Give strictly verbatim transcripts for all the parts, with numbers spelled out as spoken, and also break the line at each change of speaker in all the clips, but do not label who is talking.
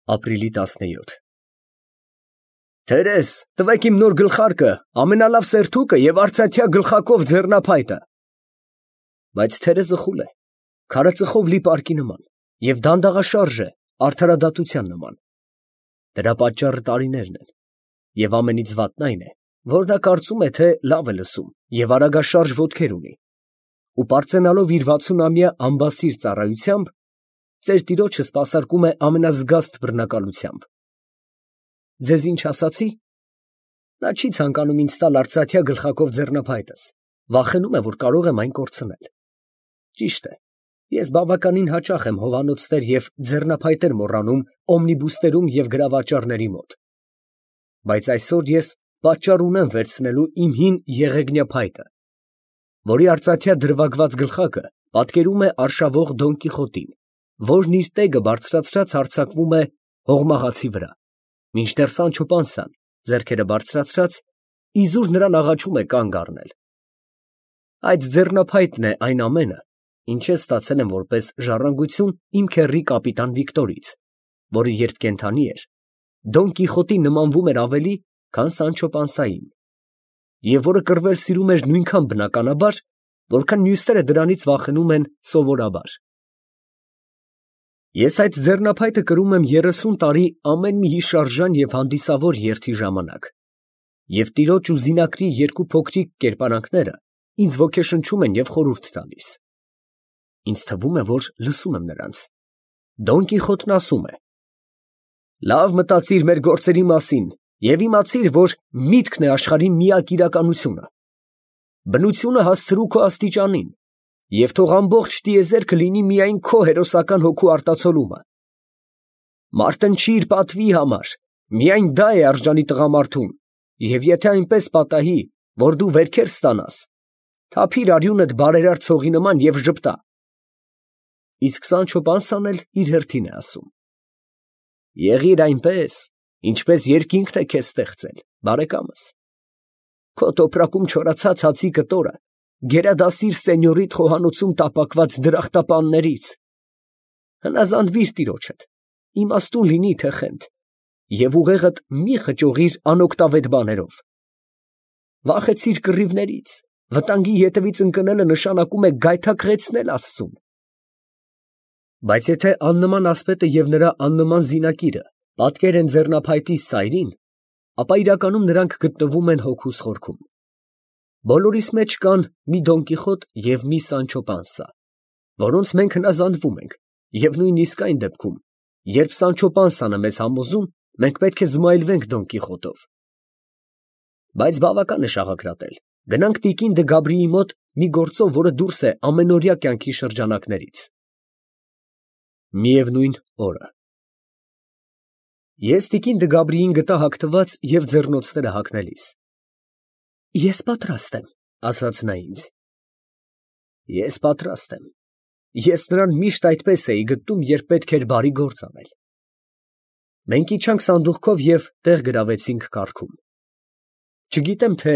Ապրիլի տասնյոթ Տերես, տվեք իմ նոր գլխարկը, ամենալավ սերթուկը և արծաթյա գլխակով ձեռնափայտը։ Բայց Թերեզը խուլ է, քարածխով լի պարկի նման և դանդաղաշարժ է արդարադատության նման։ Դրա պատճառը տարիներն են, և ամենից վատն այն է, որ նա կարծում է, թե լավ է լսում և արագաշարժ ոտքեր ունի, ու պարծենալով իր վաթսունամյա անբասիր ծառայությամբ, ծեր տիրոջը սպասարկում է ամենազգաստ բռնակալությամբ։ Ձեզ ինչ ասացի։ Նա չի ցանկանում ինձ տալ արծաթյա գլխակով ձեռնափայտս, վախենում է, որ կարող եմ այն կորցնել։ Ճիշտ է, ես բավականին հաճախ եմ հովանոցներ և ձեռնափայտեր մոռանում օմնիբուսներում և գրավաճառների մոտ։ Բայց այսօր ես պատճառ ունեմ վերցնելու իմ հին եղեգնյա փայտը, որի արծաթյա դրվագված գլխարկը պատկերում է արշավող Դոն Կիխոտին, որն իր տեգը բարձրացրած հարձակվում է հողմաղացի վրա, մինչդեռ Սանչո Պանսան, ձեռքերը բարձրացրած, իզուր նրան աղաչում է կանգ առնել։ Այդ ձեռնափայտն է այն ամենը, ինչ ես ստացել եմ որպես ժառանգություն իմ քեռի կապիտան Վիկտորից, որը երբ կենդանի էր, Դոն Կիխոտին նմանվում էր ավելի, քան Սանչո Պանսային, և որը կռվել սիրում էր նույնքան բնականաբար, որքան մյուսները դրանից վախենում են սովորաբար։ Ես այդ ձեռնափայտը կրում եմ երեսուն տարի ամեն մի հիշարժան և հանդիսավոր երթի ժամանակ, և տիրոջ ու զինակրի երկու փոքրիկ կերպարանքները ինձ ոգեշնչում են և խորհուրդ տալիս։ Ինձ թվում է, որ լսում եմ նրանց։ Դոն Կիխոտն ասում է. «Լավ մտածիր մեր գործերի մասին և իմացիր, որ միտքն է աշխարհի միակ իրականությունը։ Բնությունը հասցրու քո աստիճանին, և թող ամբողջ տիեզերքը լինի միայն քո հերոսական հոգու արտացոլումը։ Մարտնչիր պատվի համար, միայն դա է արժանի տղամարդուն, և եթե այնպես պատահի, որ դու վերքեր ստանաս, թափիր արյունդ բարերար ցողի նման և ժպտա»։ Իսկ Սանչո Պանսան էլ իր հերթին է ասում. «Եղիր այնպես, ինչպես երկինքն է քեզ ստեղծել, բարեկամս։ Քո տոպրակում չորացած հացի կտորը գերադասիր սենյորիդ խոհանոցում տապակված դրախտապաններից։ Հնազանդվիր տիրոջդ, իմաստուն լինի թե խենթ, և ուղեղդ մի խճողիր անօգտավետ բաներով։ Վախեցիր կռիվներից, վտանգի ետևից ընկնելը նշանակում է գայթակղեցնել աստծուն։ Բայց եթե աննման ասպետը և նրա աննման զինակիրը պատկեր են ձեռնափայտի սայրին, ապա իրականում նրանք գտնվում են հոգուս խորքում։ Բոլորիս մեջ կան մի Դոն Կիխոտ և մի Սանչո Պանսա, որոնց մենք հնազանդվում ենք, և նույնիսկ այն դեպքում, երբ Սանչո Պանսան է մեզ համոզում, մենք պետք է զմայլվենք Դոն Կիխոտով։ Բայց բավական է շաղակրատել, գնանք տիկին Դը Գաբրիի մոտ մի գործով, որը դուրս է ամենօրյա կյանքի շրջանակներից։ Միևնույն օրը Ես տիկին Դը Գաբրիին գտա հագնված և ձեռնոցները հագնելիս։ «Ես պատրաստ եմ», ասաց նա ինձ։ Ես պատրաստ եմ։ Ես նրան միշտ այդպես էի գտնում, երբ պետք էր բարի գործ անել։ Մենք իջանք սանդուղքով և տեղ գրավեցինք կառքում։ Չգիտեմ, թե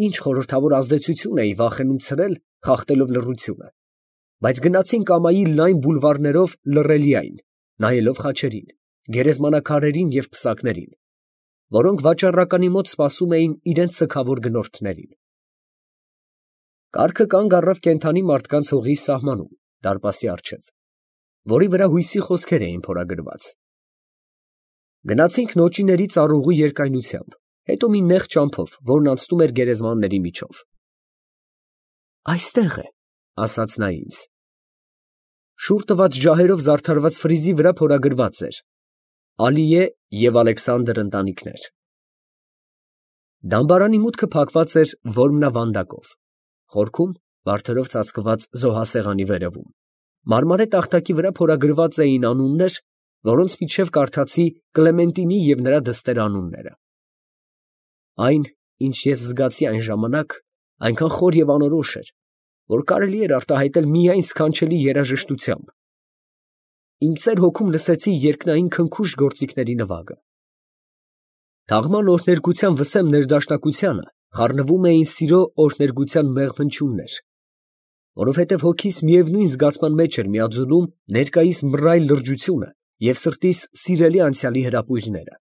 ինչ խորհրդավոր ազդեցություն էի վախենում ցրել, խախտելով լռությունը, բայց գնացինք ամայի լայն բուլվարներով Լռելիային, նայելով խաչերին, գերեզմանաքարերին և պսակներին, որոնք վաճառականի մոտ սպասում էին իրենց սգավոր գնորդներին։ Կառքը կանգ առավ կենդանի մարդկանց հողի սահմանում, դարպասի առջև, որի վրա հույսի խոսքեր էին փորագրված։ Գնացինք նոճիների ծառուղու երկայնությամբ, հետո մի նեղ ճամփով, որն անցնում էր գերեզմանների միջով։ «Այստեղ է», ասաց նա ինձ։ Շուռ տված ջահերով զարդարված ֆրիզի վրա փորագրված էր. «Ալիե և Ալեքսանդր ընտանիքներ»։ Դամբարանի մուտքը փակված էր որմնավանդակով, խորքում վարդերով ծածկված զոհասեղանի վերևում մարմարե տախտակի վրա փորագրված էին անուններ, որոնց միջև կարդացի Կլեմենտինի և նրա դստեր անունները։ Այն, ինչ ես զգացի այն ժամանակ, այնքան խոր և անորոշ էր, որ կարելի էր արտահայտել միայն սքանչելի երաժշտությամբ։ Իմ ծեր հոգում լսեցի երկնային քնքուշ գործիքների նվագը։ Թաղման օրհներգության վսեմ ներդաշնակությանը խառնվում էին սիրո օրհներգության մեղմ հնչյուններ, որովհետև հոգիս միևնույն զգացման մեջ էր միաձուլում ներկայիս մռայլ լրջությունը և սրտիս սիրելի անցյալի հրապույրները։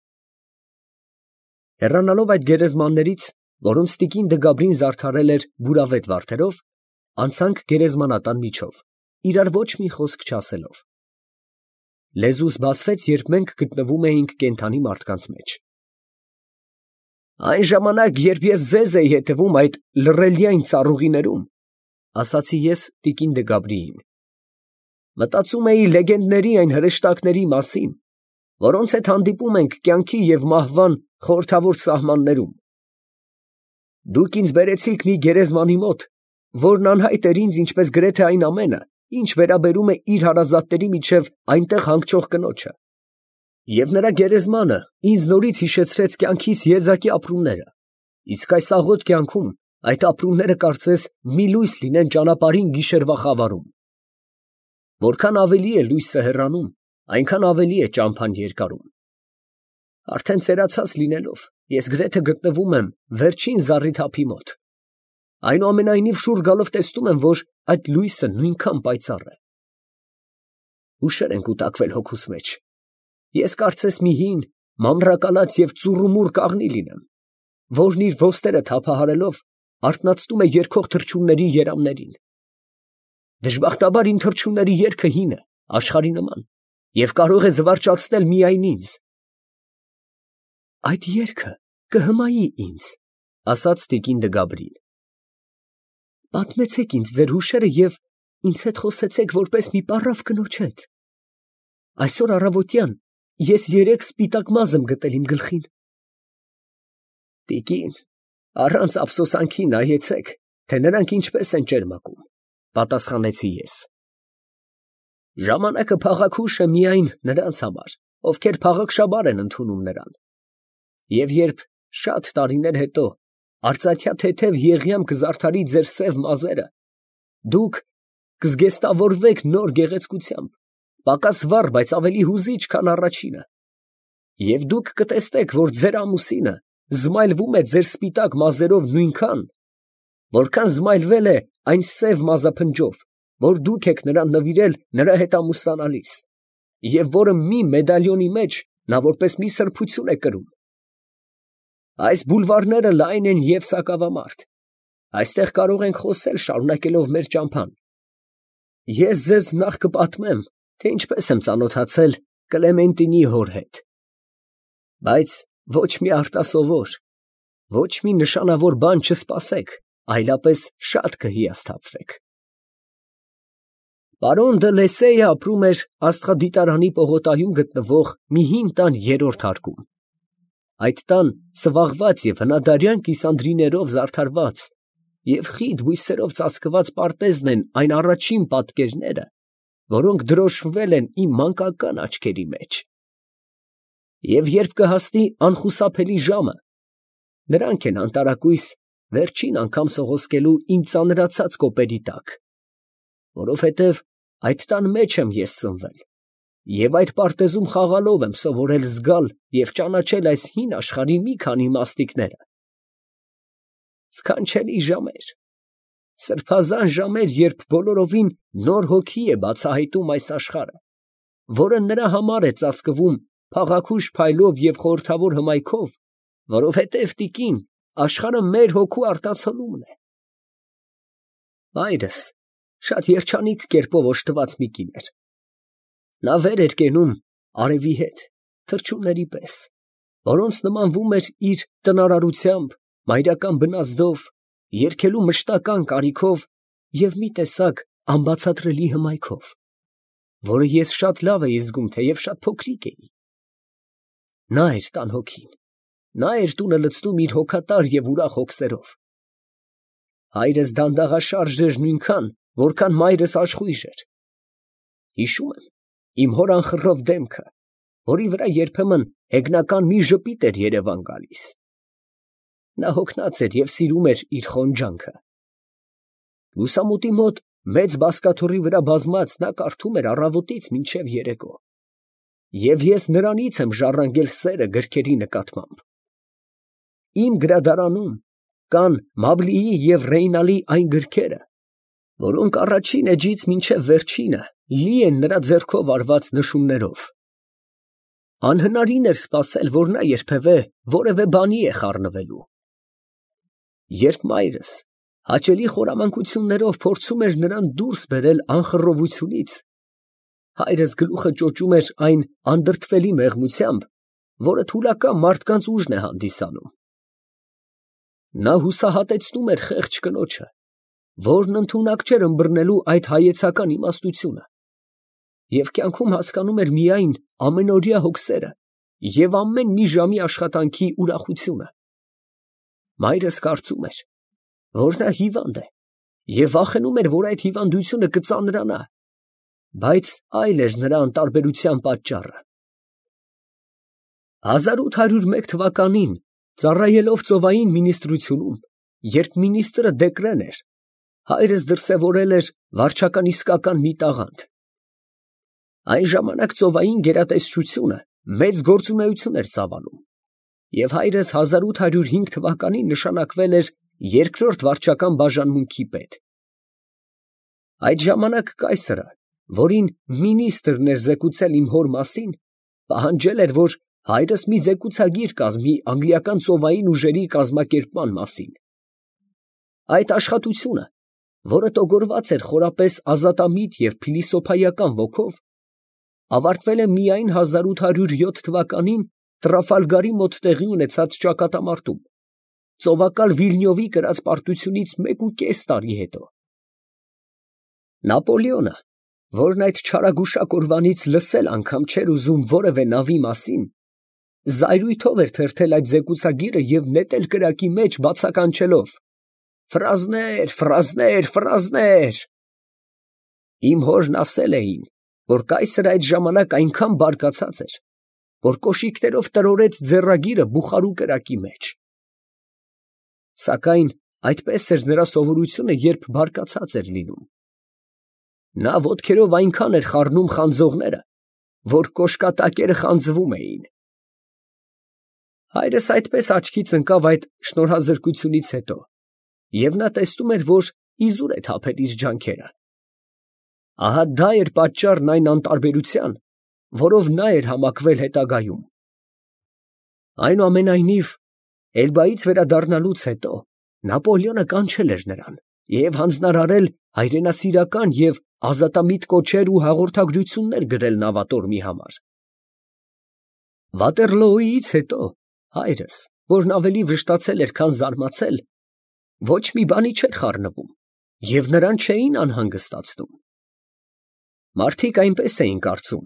Հեռանալով այդ գերեզմաններից, որոնց տիկին Դգաբրին զարդարել էր բուրավետ վարդերով, անցանք գերեզմանատան միջով, իրար ոչ մի խոսք չասելով։ Լեզուս բացվեց, երբ մենք գտնվում էինք կենդանի մարդկանց մեջ։ Այն ժամանակ, երբ ես ձեզ էի հետևում այդ լռելյայն ծառուղիներում, ասացի ես տիկին Դգաբրիին, մտածում էի լեգենդների այն հրեշտակների մասին, որոնց հետ հանդիպում ենք կյանքի և մահվան խորհրդավոր սահմաններում։ Դուք ինձ բերեցիք մի գերեզմանի մոտ, որն անհայտ էր ինձ ինչպես գրեթե այն ամենը, ինչ վերաբերում է իր հարազատների միջև այնտեղ հանգչող կնոջը։ Եվ նրա գերեզմանը ինձ նորից հիշեցրեց կյանքիս եզակի ապրումները, իսկ այս աղոտ կյանքում այդ ապրումները կարծես մի լույս լինեն ճանապարհին գիշերվա խավարում։ Որքան ավելի է լույսը հեռանում, այնքան ավելի է ճամփան երկարում։ Արդեն ծերացած լինելով, ես գրեթե գտնվում եմ վերջին զառիթափի մոտ։ Այնուամենայնիվ շուռ գալով տեսնում եմ, որ այդ լույսը նույնքան պայծառ է։ Հուշեր են կուտակվել հոգուս մեջ։ Ես կարծես մի հին, մանրակալած և ծուռումուռ կաղնի լինեմ, որն իր ոստերը թափահարելով արթնացնում է երգող թռչունների երամներին։ Դժբախտաբար իմ թռչունների երգը հին է, աշխարհի նման, և կարող է զվարճացնել միայն ինձ։ Այդ երգը կհմայի ինձ, ասաց տիկին Դգաբրին։ Պատմեցեք ինձ ձեր հուշերը և ինձ հետ խոսեցեք որպես մի պառավ կնոջ հետ։ Այսօր առավոտյան ես երեք սպիտակ մազ եմ գտել իմ գլխին։ Տիկին, առանց ափսոսանքի նայեցեք, թե նրանք ինչպես են ճերմակում, պատասխանեցի ես։ Ժամանակը փաղաքուշ է միայն նրանց համար, ովքեր փաղաքշաբար են ընդունում նրան։ Եվ երբ շատ տարիներ հետո արծաթյա թեթև եղյամ կզարդարի ձեր սև մազերը, դուք կզգեստավորվեք նոր գեղեցկությամբ, պակաս վառ, բայց ավելի հուզիչ, քան առաջինը։ Եվ դուք կտեսնեք, որ ձեր ամուսինը զմայլվում է ձեր սպիտակ մազերով նույնքան, որքան զմայլվել է այն սև մազափնջով, որ դուք եք նրան նվիրել նրա հետ ամուսնանալիս, և որը մի մեդալյոնի մեջ նա որպես մի սրբություն է կրում։ Այս բուլվարները լայն են և սակավամարդ, այստեղ կարող ենք խոսել, շարունակելով մեր ճամփան։ Ես ձեզ նախ կպատմեմ, թե ինչպես եմ ծանոթացել Կլեմենտինի հոր հետ, բայց ոչ մի արտասովոր, ոչ մի նշանավոր բան չսպասեք, այլապես շատ կհիասթափվեք։ Պարոն դը Լեսեյը ապրում էր աստղադիտարանի պողոտայում գտնվող մի հին տան երրորդ հարկում։ Այդ տան սվաղված և հնադարյան կիսանդրիներով զարդարված և խիտ բույսերով ծածկված պարտեզն են այն առաջին պատկերները, որոնք դրոշմվել են իմ մանկական աչքերի մեջ։ Եվ երբ կհասնի անխուսափելի ժամը, նրանք են անտարակույս վերջին անգամ սողոսկելու իմ ծանրացած կոպերի տակ, որովհետև այդ տան մեջ եմ ես ծնվել, և այդ պարտեզում խաղալով եմ սովորել զգալ և ճանաչել այս հին աշխարհի մի քանի մասնիկները։ Սքանչելի ժամեր, սրբազան ժամեր, երբ բոլորովին նոր հոգի է բացահայտում այս աշխարհը, որը նրա համար է ծածկվում փաղաքուշ փայլով և խորհրդավոր հմայքով, որովհետև տիկին, աշխարհը մեր հոգու արտացոլումն է։ Մայրս շատ երջանիկ կերպով օժտված մի կին էր։ Նա վեր էր կենում արևի հետ, թռչունների պես, որոնց նմանվում էր իր տնարարությամբ, մայրական բնազդով, երգելու մշտական կարիքով և մի տեսակ անբացատրելի հմայքով, որը ես շատ լավ էի զգում, թեև շատ փոքրիկ էի։ Նա էր տան հոգին, նա էր տունը լցնում իր հոգատար և ուրախ հոգսերով։ Հայրս դանդաղաշարժ էր նույնքան, որքան մայրս աշխույժ էր։ Հիշում եմ իմ հոր անխռով դեմքը, որի վրա երբեմն հեգնական մի ժպիտ էր երևան գալիս։ Նա հոգնած էր և սիրում էր իր խոնջանքը։ Լուսամուտի մոտ մեծ բազկաթոռի վրա բազմած նա կարդում էր առավոտից մինչև երեկո, և ես նրանից եմ ժառանգել սերը գրքերի նկատմամբ։ Իմ գրադարանում կան Մաբլիի և Ռեյնալի այն գրքերը, որոնք առաջին էջից մինչև վերջինը լի են նրա ձեռքով արված նշումներով, Անհնարին էր սպասել, որ նա երբևէ որևէ բանի է խառնվելու։ Երբ մայրս հաճելի խորամանկություններով փորձում էր նրան դուրս բերել անխռովությունից, հայրս գլուխը ճոճում էր այն անդրդվելի մեղմությամբ, որը թուլակամ մարդկանց ուժն է հանդիսանում։ Նա հուսահատեցնում էր խեղճ կնոջը, որն ընդունակ չէր ըմբռնելու այդ հայեցական իմաստությունը, և կյանքում հասկանում էր միայն ամենօրյա հոգսերը և ամեն մի ժամի աշխատանքի ուրախությունը։ Մայրս կարծում էր, որ նա հիվանդ է, և վախենում էր, որ այդ հիվանդությունը կծանրանա, բայց այլ էր նրա անտարբերության պատճառը։ հազար ութ հարյուր մեկ թվականին, ծառայելով ծովային մինիստրությունում, երբ մինիստրը Դեկրեն էր, հայրս դրսևորել էր վարչական իսկական մի տաղանդ։ Այն ժամանակ ծովային գերատեսչությունը մեծ գործունեություն էր ծավալում, և հայրս հազար ութ հարյուր հինգ թվականին նշանակվել էր երկրորդ վարչական բաժանմունքի պետ։ Այդ ժամանակ կայսրը, որին մինիստրն էր զեկուցել իմ հոր մասին, պահանջել էր, որ հայրս մի զեկուցագիր կազմի անգլիական ծովային ուժերի կազմակերպման մասին։ Այդ աշխատությունը, որը տոգորված էր խորապես ազատամիտ և փիլիսոփայական ոգով, ավարտվել է միայն հազար ութ հարյուր յոթ թվականին Տրաֆալգարի մոտ տեղի ունեցած ճակատամարտում, ծովակալ Վիլնյովի կրած պարտությունից մեկուկես տարի հետո։ Նապոլեոնը, որն այդ չարագուշակ օրվանից լսել անգամ չէր ուզում որևէ նավի մասին, զայրույթով էր թերթել այդ զեկուցագիրը և նետել կրակի մեջ բացականչելով. «Ֆրազներ, ֆրազներ, ֆրազներ»։ Իմ հորն ասել էին, որ կայսրը այդ ժամանակ այնքան բարկացած էր, որ կոշիկներով տրորեց ձեռագիրը բուխարու կրակի մեջ։ Սակայն այդպես էր նրա սովորությունը, երբ բարկացած էր լինում։ Նա ոտքերով այնքան էր խառնում խանձողները, որ կոշկատակերը խանձվում էին։ Հայրս այդպես աչքից ընկավ այդ շնորհազրկությունից հետո, և նա տեսնում էր, որ իզուր է թափել իր ջանքերը։ Ահա դա էր պատճառն այն անտարբերության, որով նա էր համակվել հետագայում։ Այնուամենայնիվ, Էլբայից վերադառնալուց հետո Նապոլեոնը կանչել էր նրան և հանձնարարել հայրենասիրական և ազատամիտ կոչեր ու հաղորդագրություններ գրել նավատորմի համար։ Վատերլոյից հետո հայրս, որն ավելի վշտացել էր, քան զարմացել, ոչ մի բանի չէր խառնվում և նրան չէին անհանգստացնում։ Մարդիկ այնպես էին կարծում,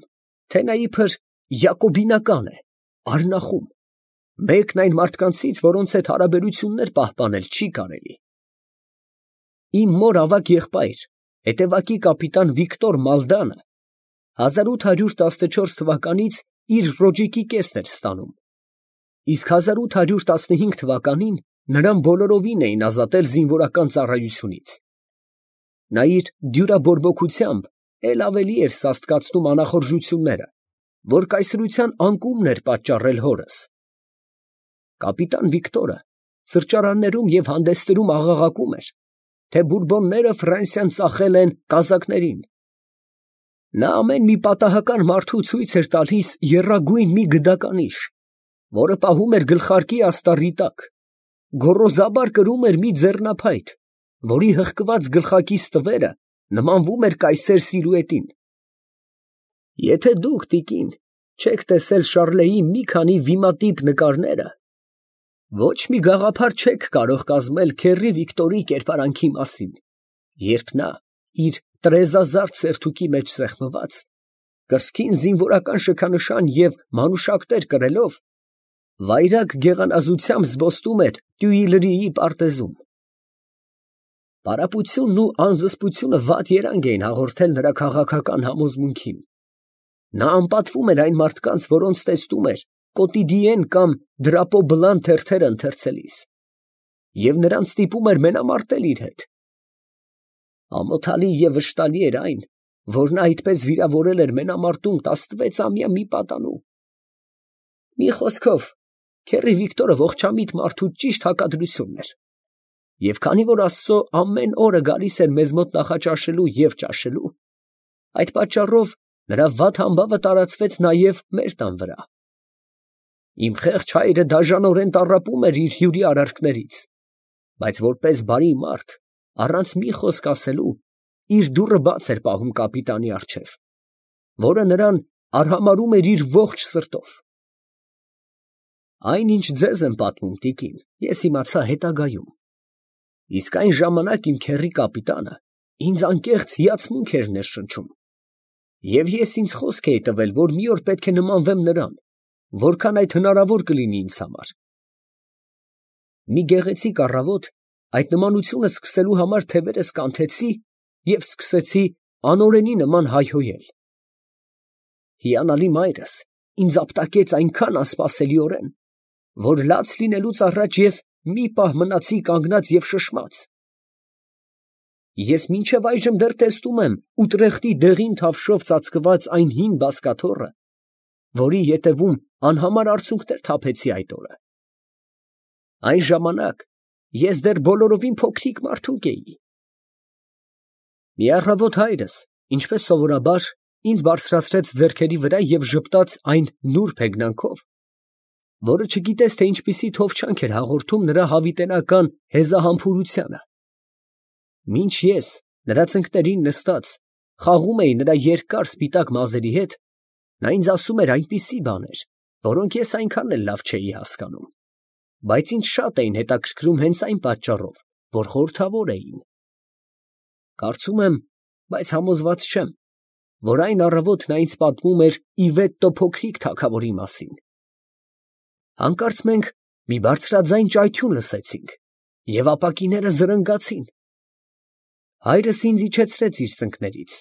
թե նա իբր յակոբինական է, արնախում, մեկն այն մարդկանցից, որոնց հետ հարաբերություններ պահպանել չի կարելի։ Իմ մոր ավագ եղբայր, հետևակի կապիտան Վիկտոր Մալդանը, հազար ութ հարյուր տասնչորս թվականից իր ռոճիկի կեսն էր ստանում, իսկ հազար ութ հարյուր տասնհինգ թվականին նրան բոլորովին էին ազատել զինվորական ծառայությունից։ Նա իր դյուրաբորբոքությամբ էլ ավելի էր սաստկացնում անախորժությունները, որ կայսրության անկումն էր պատճառել հորս։ Կապիտան Վիկտորը սրճարաններում և հանդեսներում աղաղակում էր, թե բուրբոնները Ֆրանսիան ծախել են կազակներին։ Նա ամեն մի պատահական մարդու ցույց էր տալիս եռագույն մի գդականիշ, որը պահում էր գլխարկի աստառի տակ, գոռոզաբար կրում էր մի ձեռնափայտ, որի հղկված գլխակի ստվերը նմանվում էր կայսեր սիլուետին։ Եթե դուք, տիկին, չեք տեսել Շարլեի մի քանի վիմատիպ նկարները, ոչ մի գաղափար չեք կարող կազմել քեռի Վիկտորի կերպարանքի մասին, երբ նա իր տրեզազարդ սերթուկի մեջ սեղմված, կրծքին զինվորական շքանշան և մանուշակներ կրելով, վայրագ գեղանազությամբ զբոսնում էր Տյուիլրիի պարտեզում։ Պարապությունն ու անզսպությունը վատ երանգ էին հաղորդել նրա քաղաքական համոզմունքին։ Նա անպատվում էր այն մարդկանց, որոնց տեսնում էր Կոտիդիեն կամ Դրապո Բլան թերթերը ընթերցելիս, և նրանց ստիպում էր մենամարտել իր հետ։ Ամոթալի և վշտալի էր այն, որ նա այդպես վիրավորել էր մենամարտում տասնվեցամյա մի պատանու։ Մի խոսքով, քեռի Վիկտորը ողջամիտ մարդու ճիշտ հակադրությունն էր, և քանի որ Աստծո ամեն օրը գալիս էր մեզ մոտ նախաճաշելու և ճաշելու, այդ պատճառով նրա վատ համբավը տարածվեց նաև մեր տան վրա։ Իմ խեղճ հայրը դաժանորեն տառապում էր իր հյուրի արարքներից, բայց որպես բարի մարդ, առանց մի խոսք ասելու, իր դուռը բաց էր պահում կապիտանի առջև, որը նրան արհամարհում էր իր ողջ սրտով։ Այն, ինչ ձեզ եմ պատմում, տիկին, ես իմացա հետագայում, իսկ այն ժամանակ իմ քեռի կապիտանը ինձ անկեղծ հիացմունք էր ներշնչում, և ես ինձ խոսք էի տվել, որ մի օր պետք է նմանվեմ նրան, որքան այդ հնարավոր կլինի ինձ համար։ Մի գեղեցիկ առավոտ այդ նմանությունը սկսելու համար թևերս կանթեցի և սկսեցի անօրենի նման հայհոյել։ Հիանալի մայրս ինձ ապտակեց այնքան անսպասելիորեն, որ լաց լինելուց առաջ ես մի պահ մնացի կանգնած և շշմած։ Ես մինչև այժմ դեռ տեսնում եմ Ուտրեխտի դեղին թավշով ծածկված այն հին բազկաթոռը, որի ետևում անհամար արցունքներ թափեցի այդ օրը։ Այն ժամանակ ես դեռ բոլորովին փոքրիկ մարդուկ էի։ Մի առավոտ հայրս, ինչպես սովորաբար, ինձ բարձրացրեց ձեռքերի վրա և ժպտաց այն նուրբ հեգնանքով, որը չգիտես, թե ինչպիսի թովչանք էր հաղորդում նրա հավիտենական հեզահամբուրությանը։ Մինչ ես, նրա ծնկներին նստած, խաղում էի նրա երկար սպիտակ մազերի հետ, նա ինձ ասում էր այնպիսի բաներ, որոնք ես այնքան էլ լավ չէի հասկանում, բայց ինձ շատ էին հետաքրքրում հենց այն պատճառով, որ խորհրդավոր էին։ Կարծում եմ, բայց համոզված չեմ, որ այն առավոտ նա ինձ պատմում էր Իվետտո փոքրիկ թագավորի մասին։ Հանկարծ մենք մի բարձրաձայն ճայթյուն լսեցինք, և ապակիները զրնգացին։ Հայրս ինձ իջեցրեց իր ծնկներից,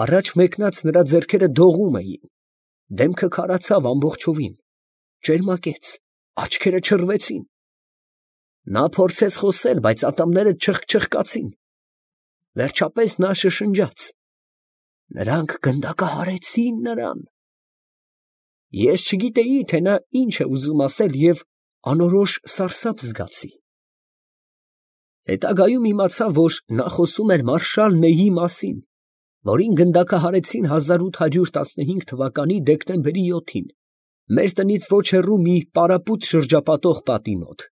առաջ մեկնած նրա ձեռքերը դողում էին, դեմքը քարացավ ամբողջովին, ճերմակեց, աչքերը չռվեցին։ Նա փորձեց խոսել, բայց ատամները չխկչխկացին։ Վերջապես նա շշնջաց. «Նրանք գնդակահարեցին նրան»։ Ես չգիտեի, թե նա ինչ է ուզում ասել և անորոշ սարսափ զգացի։ Հետագայում իմացա, որ նա խոսում էր մարշալ Նեյի մասին, որին գնդակահարեցին հազար ութ հարյուր տասնհինգ թվականի դեկտեմբերի յոթին, մեր տնից ոչ հեռու մի պարապույտ շրջապատող պատի մոտ։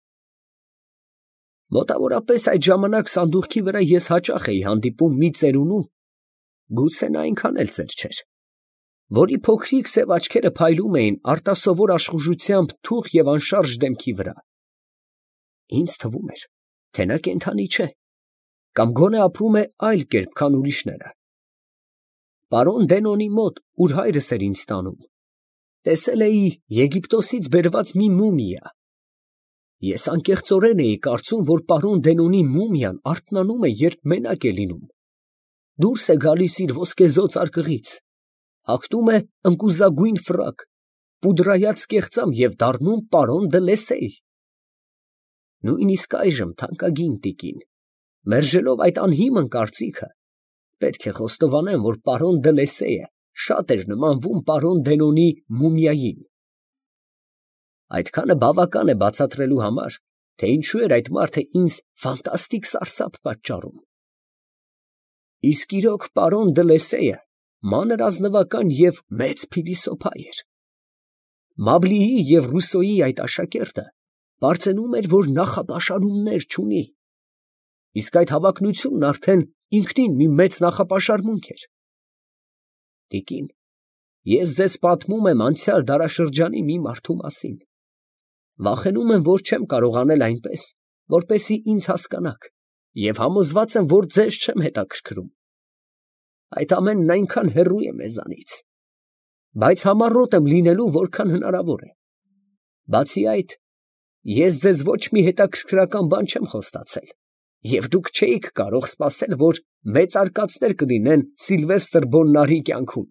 Մոտավորապես այդ ժամանակ սանդուղքի վրա ես հաճախ էի հանդիպում մի ծերունու, գուցե նա այնքան էլ ծեր չէր, որի փոքրիկ սև աչքերը փայլում էին արտասովոր աշխուժությամբ թուխ և անշարժ դեմքի վրա։ Ինձ թվում էր, թե նա կենդանի չէ, կամ գոնե ապրում է այլ կերպ, քան ուրիշները։ Պարոն Դենոնի մոտ, ուր հայրս էր ինձ տանում, տեսել էի Եգիպտոսից բերված մի մումիա։ Ես անկեղծորեն էի կարծում, որ պարոն Դենոնի մումիան արթնանում է, երբ մենակ է լինում, դուրս է գալիս իր ոսկեզօծ արկղից, հագնում է ընկուզագույն ֆրակ, պուդրայած կեղծամ և դառնում պարոն դը Լեսեյ։ Նույնիսկ այժմ, թանկագին տիկին, մերժելով այդ անհիմն կարծիքը, պետք է խոստովանեմ, որ պարոն դը Լեսեյը շատ էր նմանվում պարոն Դենոնի մումիային։ Այդքանը բավական է բացատրելու համար, թե ինչու էր այդ մարդը ինձ ֆանտաստիկ սարսափ պատճառում։ Իսկ իրոք պարոն դը Լեսեյը մանր ազնվական և մեծ փիլիսոփա էր։ Մաբլիի և Ռուսոյի այդ աշակերտը պարծենում էր, որ նախապաշարումներ չունի, իսկ այդ հավակնությունն արդեն ինքնին մի մեծ նախապաշարմունք էր։ Տիկին, ես ձեզ պատմում եմ անցյալ դարաշրջանի մի մարդու մասին։ Վախենում եմ, որ չեմ կարող անել այնպես, որպեսզի ինձ հասկանաք, և համոզված եմ, որ ձեզ չեմ հետաքրքրում։ Այդ ամենն այնքան հեռու է մեզանից, բայց համառոտ եմ լինելու, որքան հնարավոր է։ Բացի այդ, ես ձեզ ոչ մի հետաքրքրական բան չեմ խոստացել, և դուք չէիք կարող սպասել, որ մեծարկածներ կլինեն Սիլվեստր Բոննարի կյանքում։